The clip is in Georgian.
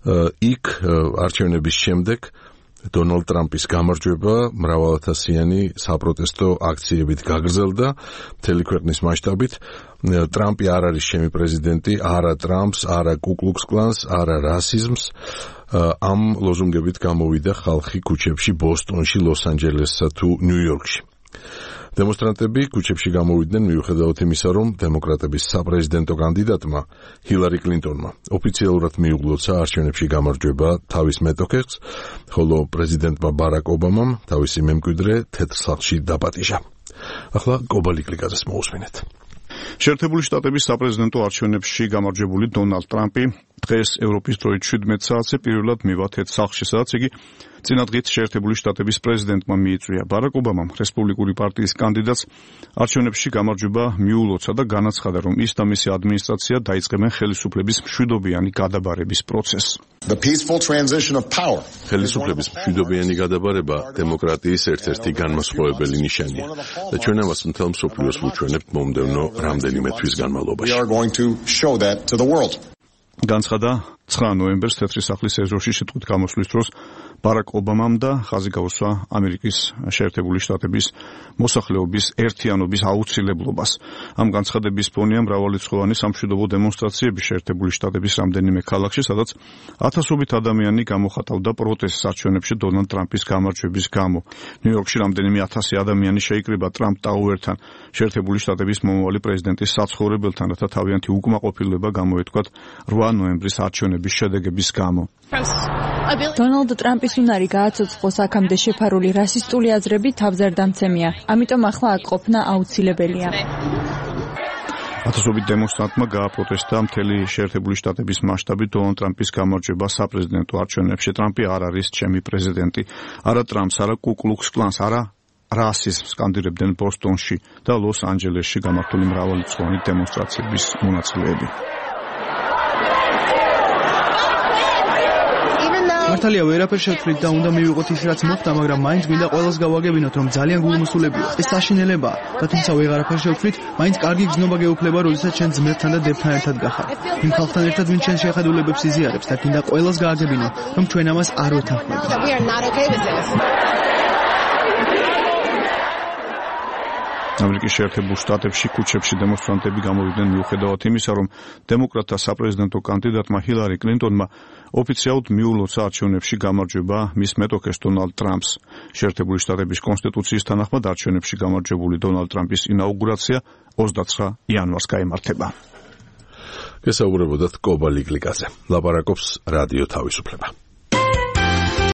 იქ არჩევნების შემდეგ დონალდ ტრამპის გამარჯვება მრავალათასიანი საპროტესტო აქციებით გაგრძელდა მთელი ქვეყნის მასშტაბით. ტრამპი არ არის ჩემი პრეზიდენტი, არა ტრამპს, არა კუკლუქს კლანს, არა რასიზმს. ამ ლოზუნგებით გამოვიდა ხალხი ქუჩებში ბოსტონში, ლოს-ანჯელესსა თუ ნიუ-იორკში. დემონსტრანტები ქუჩებში გამოვიდნენ მიუხედავად იმისა, რომ დემოკრატების საპრეზიდენტო კანდიდატმა ჰილარი კლინტონმა ოფიციალურად მიუღლოცა არჩევნებში გამარჯვება თავის მეტოქეს, ხოლო პრეზიდენტმა ბარაკ ობამამ თავისი მემკვიდრე თეთრ სახლში დაპატიჟა. ახლა გობალიკლიკაძეს მოусმინეთ. შეერთებული შტატების საპრეზიდენტო არჩევნებში გამარჯვებული დონალდ ტრამპი დღეს ევროპის დროით 17 საათზე პირველად მივა თეთრ სახლში, სადაც იგი წინა დღით შეერთებული შტატების პრეზიდენტმა მიიწვია. ბარაკ ობამამ რესპუბლიკური პარტიის კანდიდატს არჩევნებში გამარჯვება მიულოცა და განაცხადა, რომ ის და მისი ადმინისტრაცია დაიწყებენ ხელისუფლების მშვიდობიანი გადაბარების პროცესს. ხელისუფლების მშვიდობიანი გადაბარება დემოკრატიის ერთ-ერთი განმასხვავებელი ნიშანია და ჩვენ ამას მთელ მსოფლიოს ვუჩვენებთ მომდევნო რამდენიმე თვის განმავლობაში. განცხადა 9 ნოემბერს თეთრი სახლის ეზოში სიტყვით გამოსვლის დროს ბარაკ ობამამ და ხაზი გაუსვა ამერიკის შეერთებული შტატების მოსახლეობის ერთიანობის აუცილებლობას. ამ განცხადების ფონია მრავალრიცხოვანი სამშვიდობო დემონსტრაციები შეერთებული შტატების რამდენიმე ქალაქში, სადაც ათასობით ადამიანი გამოხატავდა პროტესტს არჩევნებში დონალდ ტრამპის გამარჯვების გამო. ნიუ-იორკში რამდენიმე ათასი ადამიანი შეიკრიბა ტრამპ ტაუერთან, შეერთებული შტატების მომავალი პრეზიდენტის საცხოვრებელთან, რათა თავიანთი უკმაყოფილება გამოეთქვათ 8 ნოემბრის არჩევნების შედეგების გამო. დონალდ ტრამპის უნარი გააცოცხლოს აქამდე შეფარული რასისტული აზრები თავზარდამცემია, ამიტომ ახლა აქ ყოფნა აუცილებელია. ათასობით დემონსტრანტმა გააპროტესტა მთელი შეერთებული შტატების მასშტაბით დონალდ ტრამპის გამარჯვება საპრეზიდენტო არჩევნებში. ტრამპი არ არის ჩემი პრეზიდენტი, არა ტრამპს, არა კუკლუქს კლანს, არა რასიზმს სკანდირებდნენ ბოსტონში და ლოს-ანჯელესში გამართული მრავალრიცხოვანი დემონსტრაციების მონაწილეები. მართალია ვერაფერ შევთვლით და უნდა მივიღოთ ის რაც მოხდა, მაგრამ მაინც მინდა ყველას გავაგებინოთ, რომ ძალიან გულმოსულებია. ეს საშინელებაა და თუმცა ვეღარაფერ შევთვლით, მაინც კარგი გზნობა გეუფლება, როდესაც ჩვენ ძმებთან და დებთან ერთად გახართ. იმ ხალხთან ერთად ვინც ჩვენ შეხედულებებს იზიარებს და გინდა ყველას გააგებინო, რომ ჩვენ ამას არ ვეთანხმებით. ამერიკის შეერთებულ შტატებში ქუჩებში დემონსტრანტები გამოვიდნენ მიუხედავად იმისა, რომ დემოკრატთა საპრეზიდენტო კანდიდატმა ჰილარი კლინტონმა ოფიციალურად მიულოცა არჩევნებში გამარჯვება მის მეტოქეს დონალდ ტრამპს. შეერთებული შტატების კონსტიტუციის თანახმად არჩევნებში გამარჯვებული დონალდ ტრამპის ინაუგურაცია 29 იანვარს გაიმართება. გესაუბრებოდათ კობალიკლიკაზე. ლაპარაკობს რადიო თავისუფლება.